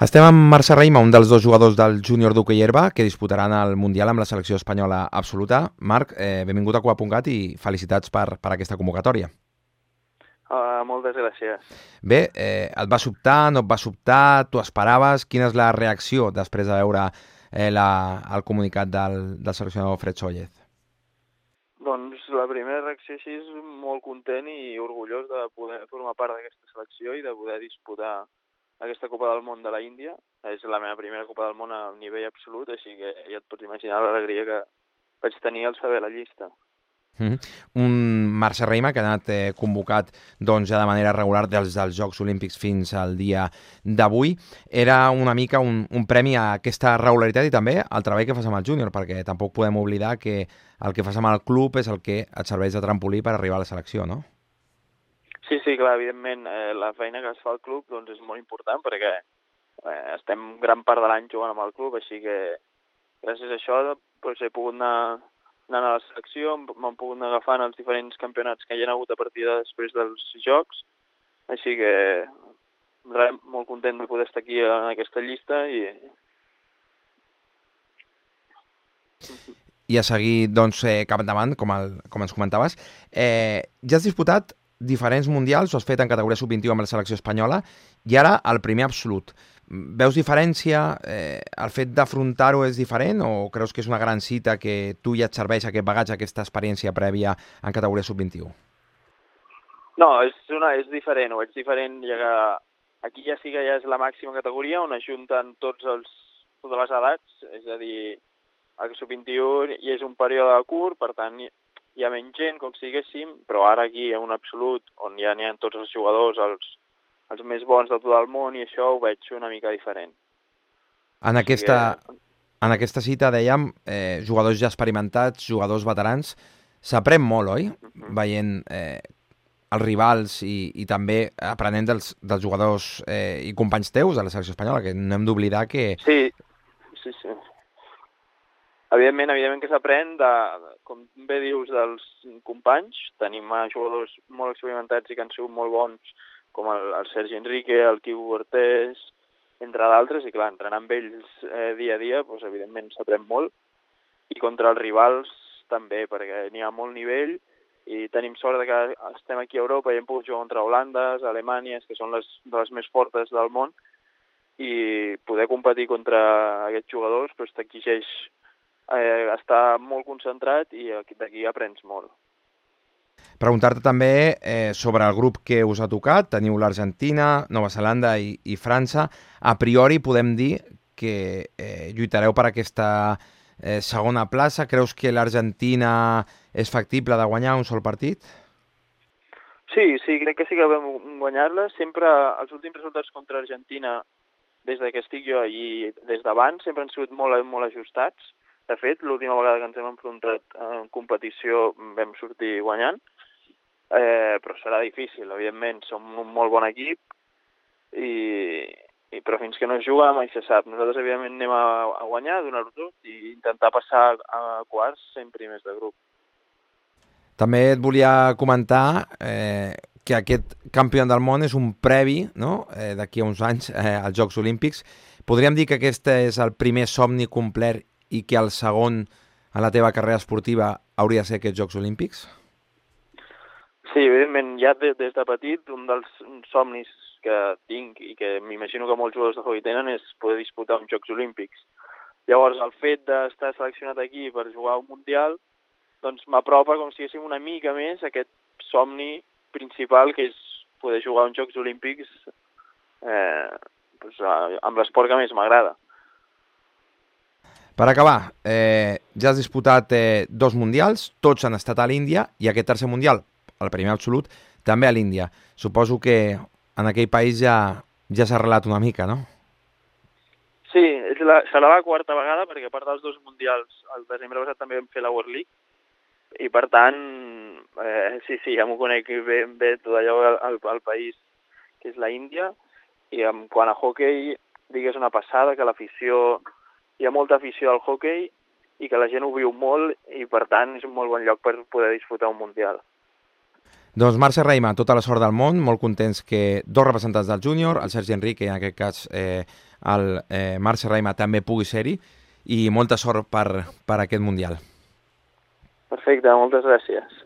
Estem amb Marc Serrahima, un dels dos jugadors del júnior d'hoquei herba que disputaran el Mundial amb la selecció espanyola absoluta. Marc, benvingut a Coa.cat i felicitats per aquesta convocatòria. Moltes gràcies. Bé, et va sobtar, no et va sobtar, tu esperaves? Quina és la reacció després de veure el comunicat del seleccionador Fred Sóllez? Doncs la primera reacció així és molt content i orgullós de poder formar part d'aquesta selecció i de poder disputar aquesta Copa del Món de la Índia. És la meva primera Copa del Món a nivell absolut, així que ja et pots imaginar l'alegria que vaig tenir al saber la llista. Un Marc Serrahima que ha anat convocat doncs, ja de manera regular dels Jocs Olímpics fins al dia d'avui. Era una mica un premi a aquesta regularitat i també al treball que fas amb el júnior, perquè tampoc podem oblidar que el que fas amb el club és el que et serveix de trampolí per arribar a la selecció, no? Sí, clar, evidentment, la feina que es fa al club doncs, és molt important perquè estem gran part de l'any jugant amb el club, així que gràcies a això doncs, he pogut anar a la selecció, m'han pogut anar agafant els diferents campionats que hi ha hagut a partir de després dels Jocs, així que molt content de poder estar aquí en aquesta llista I a seguir doncs, cap endavant, com ens comentaves. Ja has disputat diferents mundials, ho has fet en categoria sub-21 amb la selecció espanyola, i ara el primer absolut. Veus diferència? El fet d'afrontar-ho és diferent o creus que és una gran cita que tu ja et serveix aquest bagatge, aquesta experiència prèvia en categoria sub-21? No, és diferent, ho veig diferent, ja que aquí ja sí que ja és la màxima categoria on es junten totes les edats, és a dir, el sub-21 i és un període curt, per tant hi ha menys gent, com si diguéssim, però ara aquí hi ha un absolut on ja n'hi ha tots els jugadors, els més bons de tot el món, i això ho veig una mica diferent. En aquesta cita, dèiem, jugadors ja experimentats, jugadors veterans, s'aprèn molt, oi? Veient els rivals i també aprenent dels jugadors i companys teus de la selecció espanyola, que no hem d'oblidar que... Sí. Evidentment que s'aprèn, com bé dius, dels companys. Tenim jugadors molt experimentats i que han sigut molt bons, com el Sergi Enrique, el Quico Cortés, entre d'altres, i clar, entrenant amb ells dia a dia, doncs, evidentment s'aprèn molt. I contra els rivals també, perquè n'hi ha molt nivell i tenim sort que estem aquí a Europa i hem pogut jugar contra Holandes, Alemanya, que són de les més fortes del món, i poder competir contra aquests jugadors doncs, t'exigeix estar molt concentrat i d'aquí aprens molt. Preguntar-te també sobre el grup que us ha tocat. Teniu l'Argentina, Nova Zelanda i França. A priori podem dir que lluitareu per aquesta segona plaça. Creus que l'Argentina és factible de guanyar un sol partit? Sí, crec que sí que vam guanyar-la. Sempre els últims resultats contra Argentina, des que estic jo i des d'abans, sempre han sigut molt ajustats. De fet, l'última vegada que ens hem enfrontat en competició vam sortir guanyant, però serà difícil, evidentment. Som un molt bon equip, però fins que no es juga mai se sap. Nosaltres, evidentment, anem a guanyar, a donar-ho tot i intentar passar a quarts sent primers de grup. També et volia comentar que aquest campió del món és un previ, no? D'aquí a uns anys als Jocs Olímpics. Podríem dir que aquest és el primer somni complet i que el segon en la teva carrera esportiva hauria de ser aquests Jocs Olímpics? Sí, evidentment, ja des de petit, un dels somnis que tinc i que m'imagino que molts jugadors de hoquei tenen és poder disputar uns Jocs Olímpics. Llavors, el fet d'estar seleccionat aquí per jugar un Mundial doncs m'apropa com si haguéssim una mica més aquest somni principal, que és poder jugar uns Jocs Olímpics amb l'esport que més m'agrada. Per acabar, ja has disputat 2 mundials, tots han estat a l'Índia, i aquest tercer mundial, el primer absolut, també a l'Índia. Suposo que en aquell país ja s'ha arrelat una mica, no? Sí, serà la quarta vegada, perquè a part dels 2 mundials, el desembre passat també vam fer la World League, i per tant, sí, ja m'ho conec bé tot allò al país que és la Índia, i quant a hoquei, digues una passada, que l'afició... Hi ha molta afició al hoquei i que la gent ho viu molt i, per tant, és un molt bon lloc per poder disputar un Mundial. Doncs Mercè Raima, tota la sort del món, molt contents que dos representants del júnior, el Sergi Enrique i en aquest cas el Mercè Raima també pugui ser-hi, i molta sort per aquest Mundial. Perfecte, moltes gràcies.